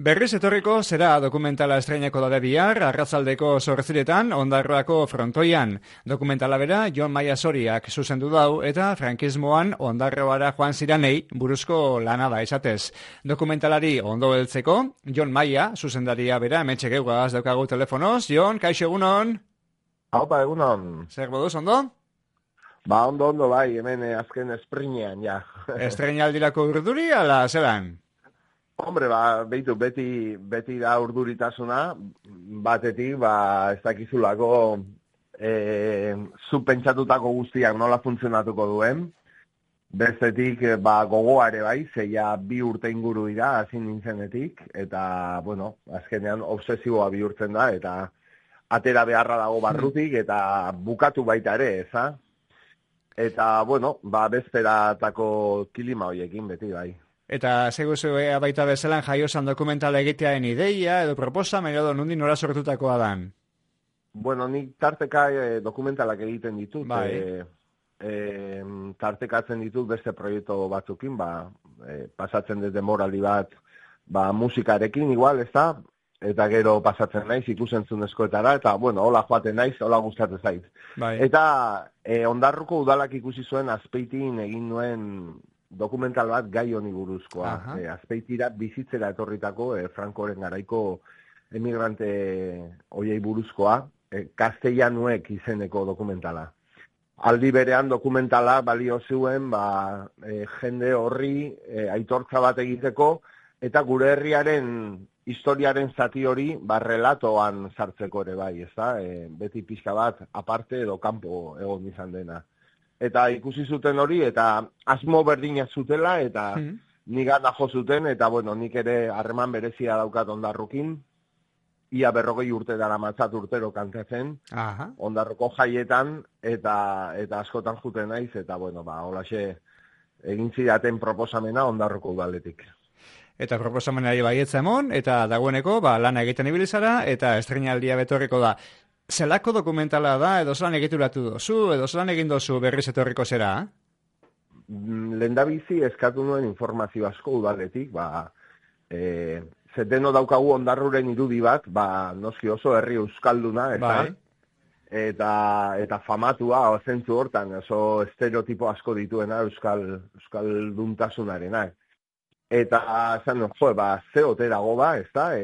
Berriz etorriko zera dokumentala estreinako da bihar, arratzaldeko 8:00 Ondarroako frontoian. Dokumentala bera Jon Maia Soriak zuzendu dau eta frankismoan Ondarroara joan ziranei buruzko lana da esatez. Dokumentalari ondo heltzeko, Jon Maia zuzendaria bera hementxe geugaz daukagu telefonoz. Jon, kaixo egunon? Haupa egunon. Zer moduz, ondo? Ba, ondo, bai, hemen azken esprinean, ja. Estreinaldirako urduri, ala zelan? Hombre, ba, behitu, beti da urduritasuna, batetik, ez dakizulako zu pentsatutako guztiak nola funtzionatuko duen, bestetik, gogoa ere bai, zeia 2 urte inguru dira, hasi nintzenetik, eta, bueno, azkenean obsesiboa bihurtzen da, eta atera beharra dago barrutik, eta bukatu baita ere, eza? Eta, bueno, bezperatako kilima horiekin beti bai. Eta seguzu baita bezalan jaiozan dokumentala egitearen ideia edo proposamen edo nundi nora sortutakoa dan? Bueno, nik tarteka dokumentalak egiten ditut. Bai. Tartekatzen ditut beste proiektu batzukin, pasatzen dut demoraldi bat, musikarekin igual, ez da? Eta gero pasatzen naiz ikusentzunezkoetara, eta, bueno, hola joaten naiz, hola gustatzen zait. Bai. Eta Ondarruko udalak ikusi zuen Azpeitin egin nuen dokumental bat gai honi buruzkoa. Azpeitira bizitzera etorritako Frankoren garaiko emigrante hoiei buruzkoa, Castellanuek izeneko dokumentala. Aldi berean dokumentala balio zuen jende horri aitortza bat egiteko eta gure herriaren historiaren zati hori relatoan sartzeko ere bai, ezta? Beti pixka bat aparte edo kanpo egon izan dena. Eta ikusi zuten hori, eta asmo berdinak zutela, eta nigana jo zuten, eta bueno, nik ere harreman berezia daukat Ondarrukin, ia 40 urte dara matzat urtero kantatzen, Ondarroko jaietan, eta askotan juten naiz, eta bueno, holaxe egin zidaten proposamena Ondarroko udaletik. Eta proposamenari baietza emon, eta dagoeneko lana egiten ibilizara, eta estreinaldia betorriko da. Zelako dokumentala da, edo zelan egituratu dozu, edo zelan egin dozu berriz etorriko zera? Lehendabizi eskatu nuen informazio asko udaletik, zeteno daukagu Ondarruren irudi bat, noski oso herri euskalduna, eta famatua, zentzu hortan, oso estereotipo asko dituena euskalduntasunarena. Eta, ze ote dago ez da,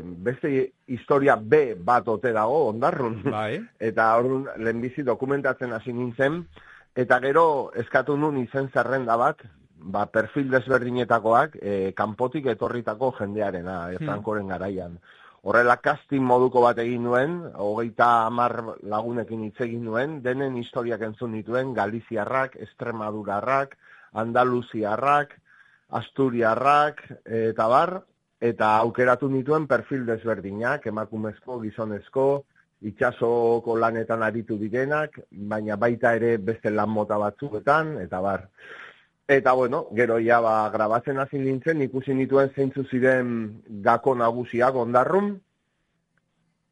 beste historia B bat ote dago Ondarrun. Bai. Eta orduan lehenbizi dokumentatzen hasi nintzen, eta gero eskatu nun izen zerrenda bat, perfil desberdinetakoak, kanpotik etorritako jendearena, Frankoren garaian. Horrela casting moduko bat egin nuen, 30 lagunekin hitz egin nuen, denen historiak entzun dituen, Galiziarrak, Extremadurarrak, Andaluziarrak, Asturiarrak, eta aukeratu nituen perfil desberdinak, emakumezko, gizonezko, itsasoko lanetan aritu direnak, baina baita ere beste lan mota batzuetan, eta bar. Eta bueno, gero grabatzen hasi nintzen, ikusi nituen zeintzu ziren gako nagusiak Ondarrun,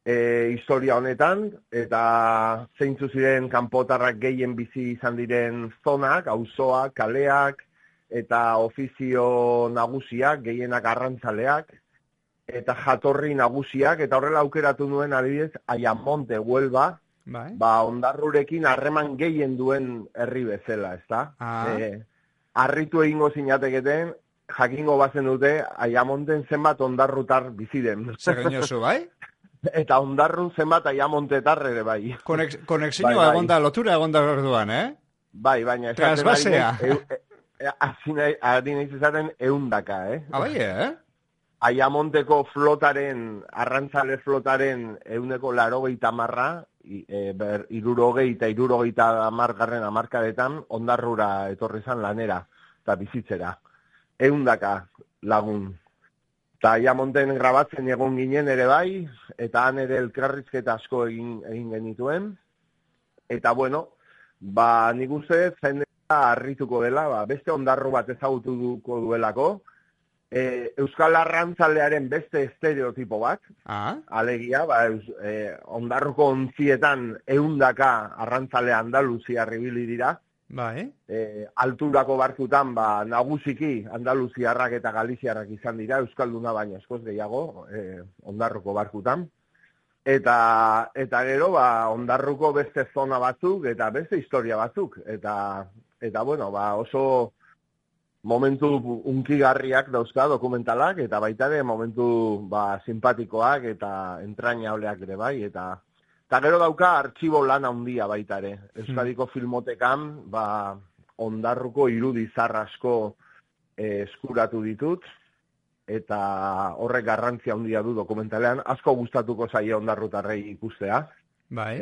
historia honetan, eta zeintzu ziren kanpotarrak gehien bizi izan diren zonak, auzoak, kaleak, eta ofizio nagusiak, gehienak arrantzaleak, eta jatorri nagusiak, eta horrela aukeratu nuen adibidez, Ayamonte, Huelva, Ondarrurekin harreman gehien duen herri bezala, ezta? Harritu egingo zinateketen, jakingo bazen dute, Ayamonten zenbat Ondarrutar bizi den. Zer gainozu, bai? Eta Ondarrun zenbat Ayamontetar ere bai. Konexioa egonda, lotura egonda orduan, Bai, baina... Transbasea. Ari nahiz ezaten 100, Bai, Ayamonteko flotaren, arrantzale flotaren 180, 60 hamarkadetan Ondarrura etorri zan lanera, eta bizitzera. 100 lagun. Eta Ayamonten grabatzen egon ginen ere bai, eta han ere elkarrizketa asko egin genituen. Eta bueno, nik uste jende harrituko dela, beste Ondarru bat ezagutuko duelako, Euskal Arrantzalearen beste estereotipo bat, alegia, Ondarruko ontzietan 100 arrantzale Andaluziar ibili dira, Bai. Alturako barkutan, nagusiki andaluziarrak eta galiziarrak izan dira, euskalduna baina askoz gehiago, Ondarruko barkutan. Eta gero, Ondarruko beste zona batzuk eta beste historia batzuk. Eta bueno, oso momentu unkigarriak dauzka dokumentalak, eta baita ere momentu simpatikoak eta entrañableak ere bai, eta gero dauka artxibo lan handia baita ere. Euskadiko filmotekan, Ondarruko irudi asko eskuratu ditut, eta horrek garrantzia handia du dokumentalean, asko gustatuko zaie ondarrutarrei ikustea. Bai.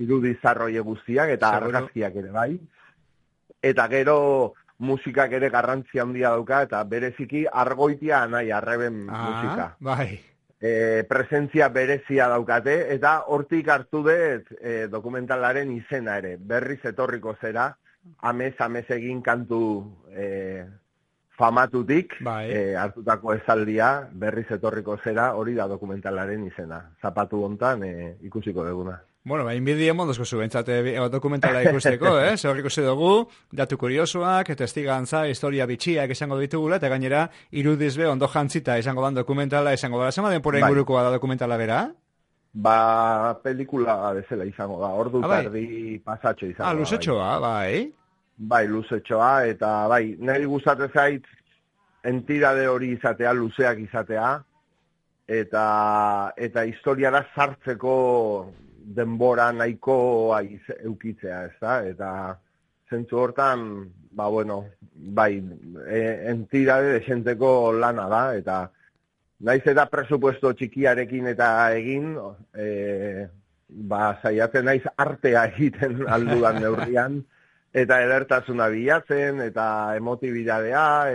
Irudi zarroi guztiak eta argazkiak ere bai. Eta gero musikak ere garrantzia handia dauka, eta bereziki Argoitia Anai Arreben musika. Bai. Presentzia berezia daukate, eta hortik hartu dut dokumentalaren izena ere. Berriz etorriko zera, amez egin kantu famatutik, hartutako esaldia, berriz etorriko zera, hori da dokumentalaren izena. Zapatu hontan ikusiko duguna. Bueno, inbidien mondozko zu, bentsate dokumentala ikusteko, Zer ikusi dugu, datu kuriosoak, testigantza, historia bitxiak izango ditugula, eta gainera, irudizbe ondo jantzita izango dan dokumentala izango da. Zema denpora ingurukoa da dokumentala bera? Pelikula bezala izango da, ordu tardi pasatxo izango da. Luzetxoa, bai. Bai, luzetxoa, eta nahi gustatzen zait, entidade hori izatea, luzeak izatea, eta historiara sartzeko denbora nahiko eukitzea, ez da? Eta zentzu hortan, entidade desenteko lana da, eta naiz eta presupuesto txikiarekin eta egin, saiatzen naiz artea egiten aldudan neurrian, eta edertasuna bilatzen, eta emotibidadea,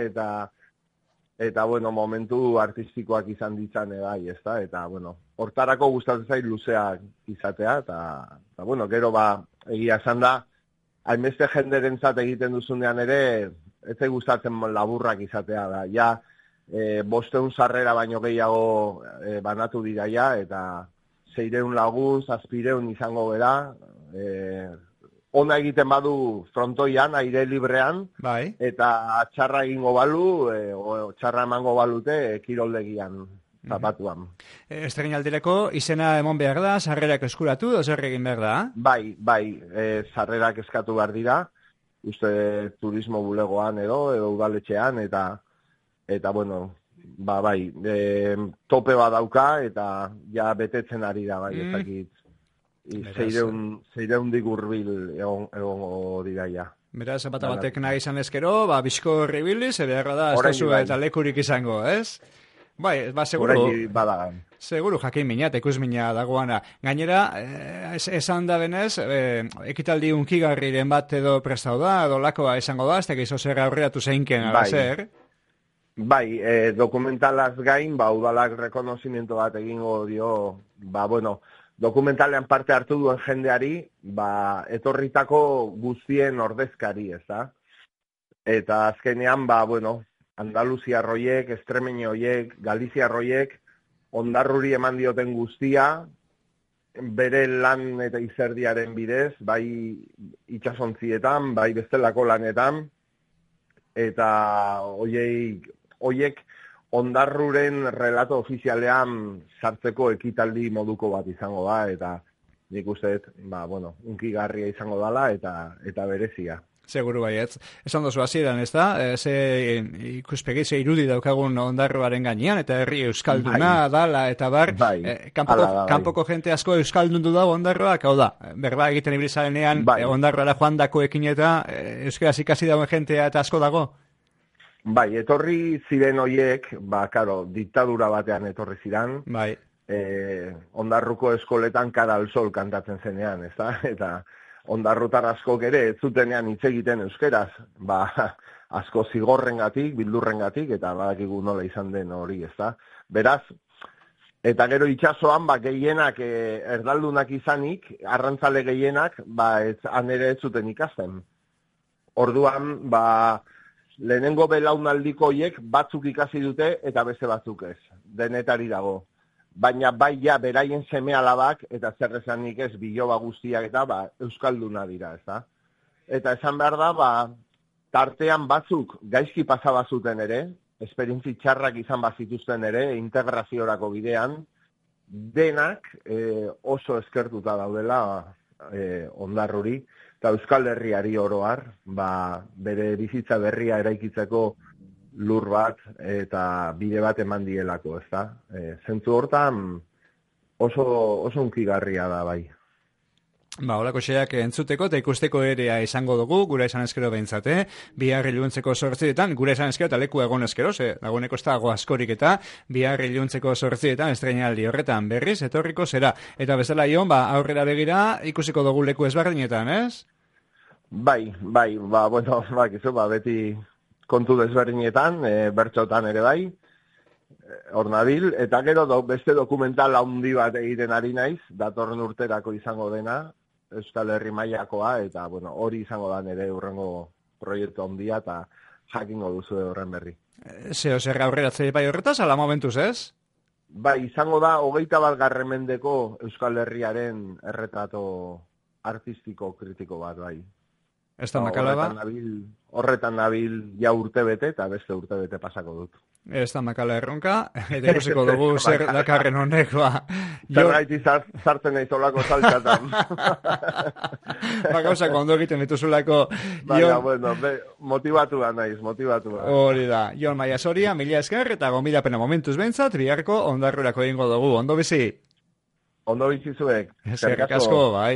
eta momentu artistikoak izan ditzane bai, ezta? Eta, hortarako gustatzen zait luzeak izatea, eta gero egia esan da, hainbeste jenderentzat egiten duzunean ere, ez gustatzen laburrak izatea da. Ja, 500 sarrera baino gehiago banatu dira ja, eta 600 lagun, 700 izango bera, ona egiten badu frontoian, aire librean, eta txarra egingo balu, txarra emango balute kiroldegian, zapatuan. Estregin aldireko, izena emon behar da, sarrerak eskuratu, zer egin behar da? Bai, sarrerak eskatu behar dira, uste turismo bulegoan edo udaletxean, eta tope bat dauka, eta ja betetzen ari da, bai, ezakit. 600 hurbil egongo dira ja. Beraz, batek nahi izan ezkero, bizko horribiliz, beharra da, ez duzu eta lekurik izango, ez? Bai, seguru. Seguru, jakin minat, ikus mina dagoana. Gainera, esan da benez, ekitaldi unkigarriren bat edo prestau da, edo lakoa esango da, ez tekizo zer aurreatu zeinken, zer? Bai, dokumentalaz gain, udalak rekonozimiento bat egingo dio, dokumentalean parte hartu duen jendeari, etorritako guztien ordezkari, ez da? Eta azkenean, Andaluzia roiek, Estremeño hoiek, Galizia roiek, Ondarruri eman dioten guztia, bere lan eta izerdiaren bidez, bai itsasontzietan, bai bestelako lanetan, eta hoiek Ondarruren relato ofizialean sartzeko ekitaldi moduko bat izango da, eta nik uste, unkigarria izango dala, eta berezia. Seguru baietz. Esan dozu hasieran, ez da? Ze ikuspegi, ze irudi daukagun Ondarroaren gainean, eta herri euskalduna dala, eta bar, kanpoko jente asko euskaldundu dago Ondarroak, hau da, berba egiten ibilizarenean, Ondarroara joan dakoekin eta euskaraz ikasi dagoen jentea eta asko dago? Bai, etorri ziren hoiek, diktadura batean etorri ziren, Ondarruko eskoletan Cara al Sol kantatzen zenean, ez da? Eta ondarrutar askok ere ez zutenean hitz egiten euskeraz, asko zigorrengatik, bildurrengatik, eta badakigu nola izan den hori, ez da? Beraz, eta gero itsasoan, gehienak erdaldunak izanik, arrantzale gehienak, han ere ez zuten ikasten. Orduan, lehenengo belaunaldiko hoiek batzuk ikasi dute eta beste batzuk ez. Denetari dago. Baina beraien seme alabak eta zer esanik ez biloba guztiak eta euskalduna dira, ez da? eta esan behar da, tartean batzuk gaizki pasabazuten ere, esperientzi txarrak izan bazituzten ere, integraziorako bidean, denak oso eskertuta daudela Ondarruri, eta Euskal Herriari oroar, bere bizitza berria eraikitzeko lur bat eta bide bat eman dielako, ezta? Zentzu hortan oso unkigarria da, bai. Holako xeak entzuteko eta ikusteko ere izango dugu, gura esan eskero behintzate, bihar iluntzeko 8etan, gura esan eskero eta leku egon eskero, dagoeneko ez dago askorik eta bihar iluntzeko 8etan estreinaldi horretan berriz, etorriko zera. Eta bezala Ion, aurrera begira ikusiko dugu leku ezberdinetan, ez? Bai, bueno, beti kontu desberdinetan, bertxotan ere bai, hor nabil, eta gero beste dokumental handi bat egiten ari naiz, datorren urterako izango dena, Euskal Herri mailakoa, eta bueno, hori izango da nire hurrengo proiektu handia, eta jakingo duzu horren berri. Zer aurreratzea bai horretaz, ala momentuz, ez? Bai, izango da, 21. mendeko Euskal Herriaren erretrato artistiko kritiko bat, bai. Ez da makala ba? Horretan nabil ja urtebete, eta beste urtebete pasako dut. Ez da makala erronka, eta ikusiko dugu zer dakarren honek, Zergaiti sartzen nahi zolako saltzatan. Gauzak ondo egiten dituzulako. Bueno, motibatua naiz. Hori da, Jon Maia Soria, mila esker, eta gonbidapena momentuz behintzat, biharko Ondarrurako egingo dugu, ondo bizi? Ondo bizi zuek. Eskerrik asko, bai.